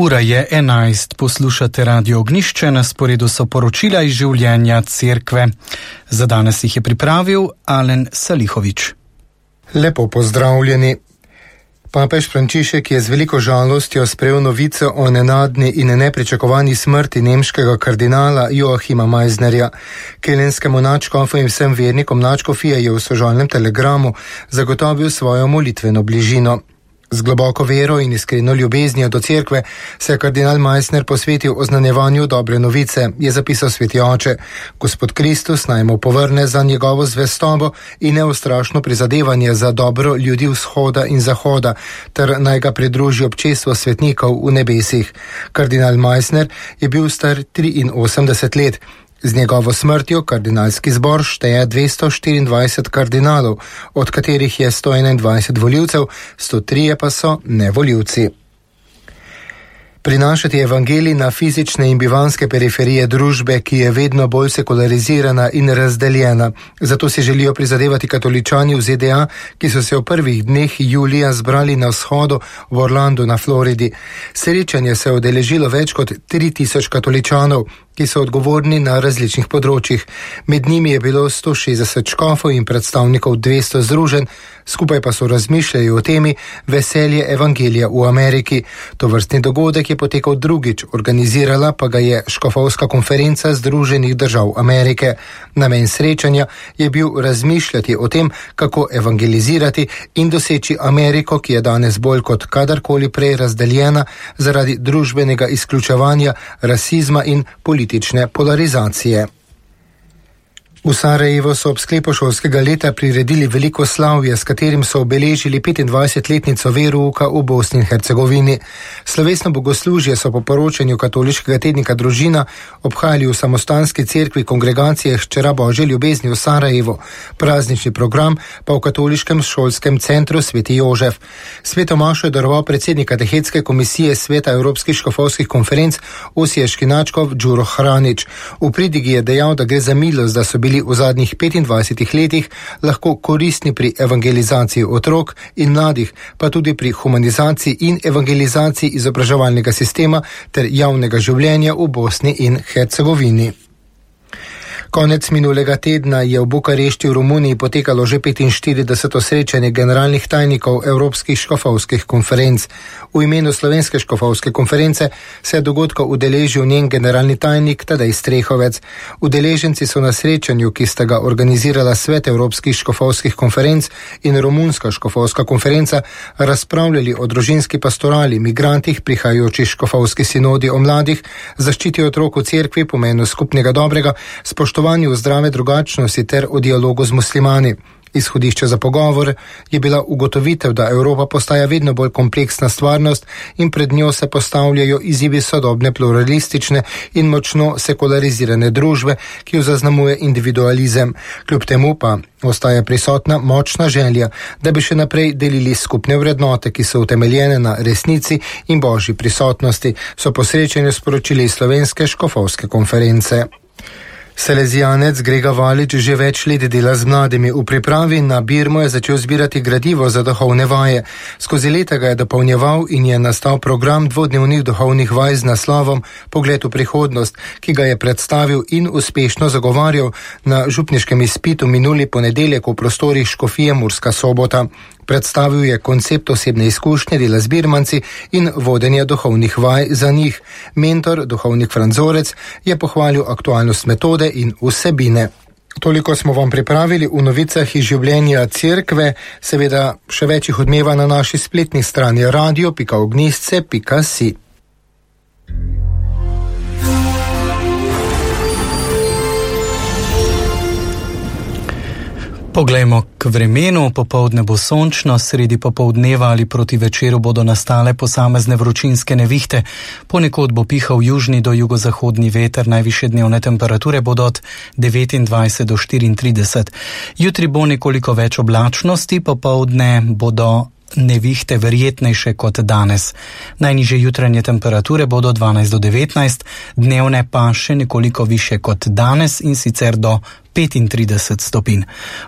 Ura je 11, poslušate Radio Ognjišče, na sporedu so poročila iz življenja cerkve. Za danes jih je pripravil Alen Salihovič. Lepo pozdravljeni. Papež Frančišek je z veliko žalostjo sprejel novico o nenadni in nepričakovani smrti nemškega kardinala Joachima Meissnerja. Kelenskemu nadškofu in vsem vernikom nadškofije je v sožalnem telegramu zagotovil svojo molitveno bližino. Z globoko vero in iskreno ljubeznijo do cerkve se je kardinal Meissner posvetil oznanjevanju dobre novice, je zapisal sveti oče. Gospod Kristus naj mu povrne za njegovo zvestobo in neustrašno prizadevanje za dobro ljudi vzhoda in zahoda, ter naj ga pridruži občestvo svetnikov v nebesih. Kardinal Meissner je bil star 83 let. Z njegovo smrtjo kardinalski zbor šteje 224 kardinalov, od katerih je 121 volivcev, 103 pa so nevolivci. Prinašati evangelij na fizične in bivanske periferije družbe, ki je vedno bolj sekularizirana in razdeljena. Zato si želijo prizadevati katoličani v ZDA, ki so se v prvih dneh julija zbrali na vzhodu v Orlandu na Floridi. Srečanje se je udeležilo več kot 3000 katoličanov, ki so odgovorni na različnih področjih. Med njimi je bilo 160 škofov in predstavnikov 200 združenj, skupaj pa so razmišljali o temi veselje evangelija v Ameriki. Tovrstni dogodek je potekal drugič, organizirala pa ga je škofovska konferenca Združenih držav Amerike. Namen srečanja je bil razmišljati o tem, kako evangelizirati in doseči Ameriko, ki je danes bolj kot kadarkoli prej razdeljena zaradi družbenega izključevanja, rasizma in politične polarizacije. V Sarajevu so ob sklepu šolskega leta priredili veliko slavje, s katerim so obeležili 25-letnico verouka v Bosni in Hercegovini. Slovesno bogoslužje so po poročanju katoliškega tednika Družina obhajali v samostanski cerkvi kongregacije Hčera Božje ljubezni v Sarajevu, praznični program pa v katoliškem šolskem centru Sveti Jožef. Sveto mašo je daroval predsednik katehetske komisije Sveta Evropskih škofovskih konferenc osiješki nadškof Đuro Hranić. V pridigi je dejal, da gre za milost, da so bili v zadnjih 25 letih lahko koristni pri evangelizaciji otrok in mladih, pa tudi pri humanizaciji in evangelizaciji izobraževalnega sistema ter javnega življenja v Bosni in Hercegovini. Konec minulega tedna je v Bukarešti v Romuniji potekalo že 45. srečanje generalnih tajnikov Evropskih škofovskih konferenc. V imenu Slovenske škofovske konference se je dogodka udeležil njen generalni tajnik Tadej Strehovec. Udeleženci so na srečanju, ki sta ga organizirala Svet Evropskih škofovskih konferenc in Romunska škofovska konferenca, razpravljali o družinski pastorali, migrantih, prihajajočih škofovski sinodi o mladih, zaščiti otrok v cerkvi, pomenu skupnega dobrega, spoštovanju zdrave drugačnosti ter o dialogu z muslimani. Izhodišče za pogovor je bila ugotovitev, da Evropa postaja vedno bolj kompleksna stvarnost in pred njo se postavljajo izzivi sodobne pluralistične in močno sekularizirane družbe, ki jo zaznamuje individualizem. Kljub temu pa ostaja prisotna močna želja, da bi še naprej delili skupne vrednote, ki so utemeljene na resnici in božji prisotnosti, so po srečanju sporočili iz Slovenske škofovske konference. Salezijanec Grega Valič že več let dela z mladimi. V pripravi na Birmo je začel zbirati gradivo za duhovne vaje. Skozi leta ga je dopolnjeval in je nastal program dvodnevnih duhovnih vaj z naslovom Pogled v prihodnost, ki ga je predstavil in uspešno zagovarjal na župniškem izpitu minuli ponedeljek v prostorih škofije Murska Sobota. Predstavil je koncept osebne izkušnje dela z birmanci in vodenja duhovnih vaj za njih. Mentor, duhovnik Franzorec, je pohvalil aktualnost metode in vsebine. Toliko smo vam pripravili v novicah iz življenja cerkve, seveda še več jih odmeva na naši spletni strani radio.ognjišče.si. Poglejmo k vremenu. Popoldne bo sončno, sredi popoldneva ali proti večeru bodo nastale posamezne vročinske nevihte. Ponekod bo pihal južni do jugozahodni veter, najvišje dnevne temperature bodo od 29 do 34. Jutri bo nekoliko več oblačnosti, popoldne bodo nevihte verjetnejše kot danes. Najnižje jutranje temperature bodo 12 do 19, dnevne pa še nekoliko više kot danes in sicer do 35 stopinj.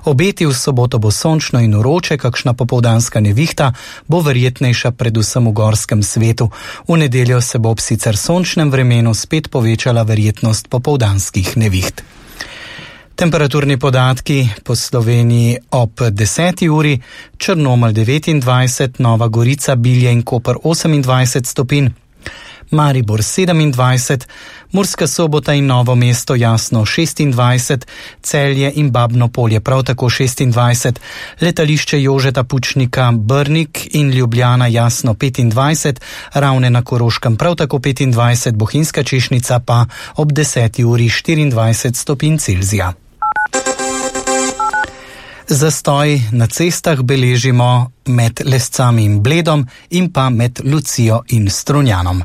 Obeti v soboto bo sončno in vroče, kakšna popoldanska nevihta bo verjetnejša predvsem v gorskem svetu. V nedeljo se bo ob sicer sončnem vremenu spet povečala verjetnost popoldanskih neviht. Temperaturni podatki po Sloveniji ob 10. uri: Črnomelj 29, Nova Gorica, Bilje in Koper 28 stopinj, Maribor 27, Murska Sobota in Novo mesto Jasno 26, Celje in Babno Polje prav tako 26, letališče Jožeta Pučnika Brnik in Ljubljana Jasno 25, Ravne na Koroškem prav tako 25, Bohinjska Češnica pa ob 10. uri 24 stopinj Celzija. Zastoj na cestah beležimo med Lescami in Bledom in pa med Lucijo in Strunjanom.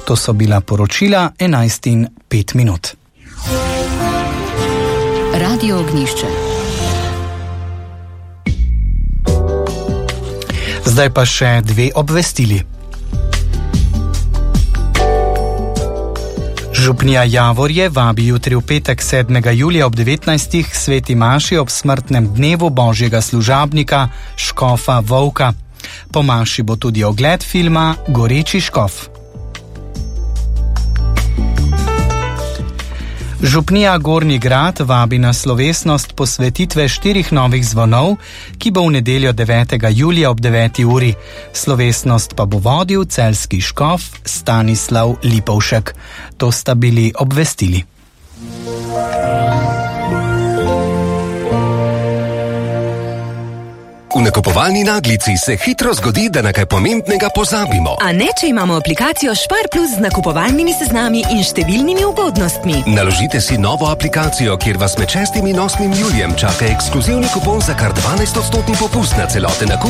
To so bila poročila 11:05. Radio Ognjišče. Zdaj pa še dve obvestili. Župnija Javorje vabi jutri v petek 7. julija ob 19. sveti maši ob smrtnem dnevu božjega služabnika škofa Volka. Po maši bo tudi ogled filma Goreči škof. Župnija Gornji Grad vabi na slovesnost posvetitve 4 novih zvonov, ki bo v nedeljo 9. julija ob 9. uri. Slovesnost pa bo vodil celjski škof Stanislav Lipovšek. To sta bili obvestili. V nakupovalni naglici se hitro zgodi, da na kaj pomembnega pozabimo. A ne, če imamo aplikacijo Spar Plus z nakupovalnimi seznami in številnimi ugodnostmi. Naložite si novo aplikacijo, kjer vas med 6. in 8. julijem čaka ekskluzivni kupon za kar 12% popust na celoten nakup